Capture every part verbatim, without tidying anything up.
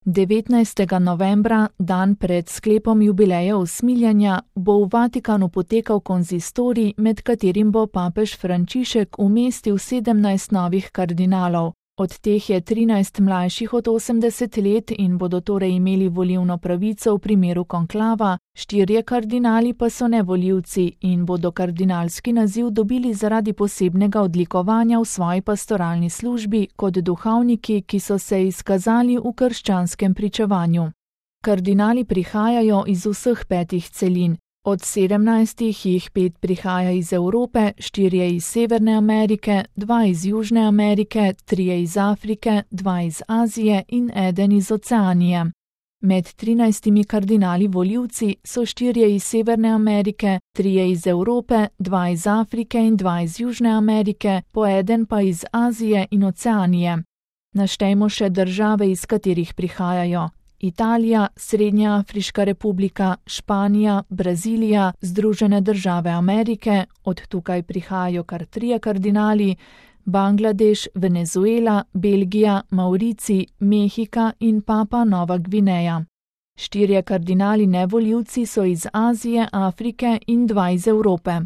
devetnajstega novembra, dan pred sklepom jubileja usmiljenja, bo v Vatikanu potekal konzistorij, med katerim bo papež Frančišek umestil sedemnajst novih kardinalov. Od teh je trinajst mlajših od osemdeset let in bodo torej imeli volilno pravico v primeru konklava, štirje kardinali pa so nevolivci in bodo kardinalski naziv dobili zaradi posebnega odlikovanja v svoji pastoralni službi kot duhovniki, ki so se izkazali v krščanskem pričevanju. Kardinali prihajajo iz vseh petih celin. Od sedemnajstih jih pet prihaja iz Evrope, štirje iz Severne Amerike, dva iz Južne Amerike, trije iz Afrike, dva iz Azije in eden iz Oceanije. Med trinajstimi kardinali volivci so štirje iz Severne Amerike, trije iz Evrope, dva iz Afrike in dva iz Južne Amerike, po eden pa iz Azije in Oceanije. Naštejmo še države, iz katerih prihajajo. Italija, Srednja Afriška republika, Španija, Brazilija, Združene države Amerike, od tukaj prihajajo kar trije kardinali, Bangladeš, Venezuela, Belgija, Maurici, Mehika in Papua Nova Gvineja. Štirje kardinali nevolivci so iz Azije, Afrike in dva iz Evrope.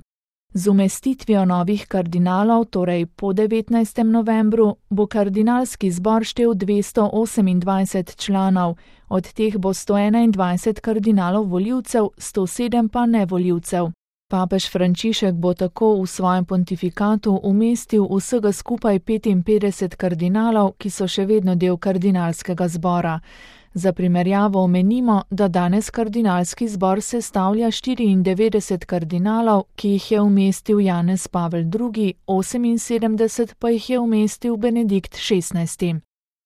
Z umestitvijo novih kardinalov, torej po devetnajstem novembru, bo kardinalski zbor štel dvesto osemindvajset članov, od teh bo sto enaindvajset kardinalov volivcev, sto sedem pa nevolivcev. Papež Frančišek bo tako v svojem pontifikatu umestil vsega skupaj petinpetdeset kardinalov, ki so še vedno del kardinalskega zbora. Za primerjavo omenimo, da danes kardinalski zbor sestavlja štiriindevetdeset kardinalov, ki jih je umestil Janez Pavel drugi, oseminsedemdeset pa jih je umestil Benedikt šestnajsti.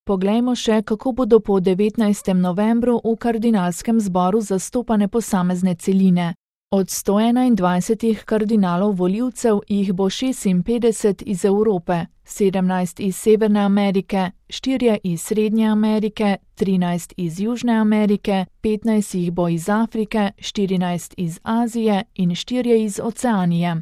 Poglejmo še, kako bodo po devetnajstem novembru v kardinalskem zboru zastopane posamezne celine. Od sto enaindvajsetih kardinalov volivcev jih bo šestinpetdeset iz Evrope, sedemnajst iz Severne Amerike, štirje iz Srednje Amerike, trinajst iz Južne Amerike, petnajst jih bo iz Afrike, štirinajst iz Azije in štirje iz Oceanije.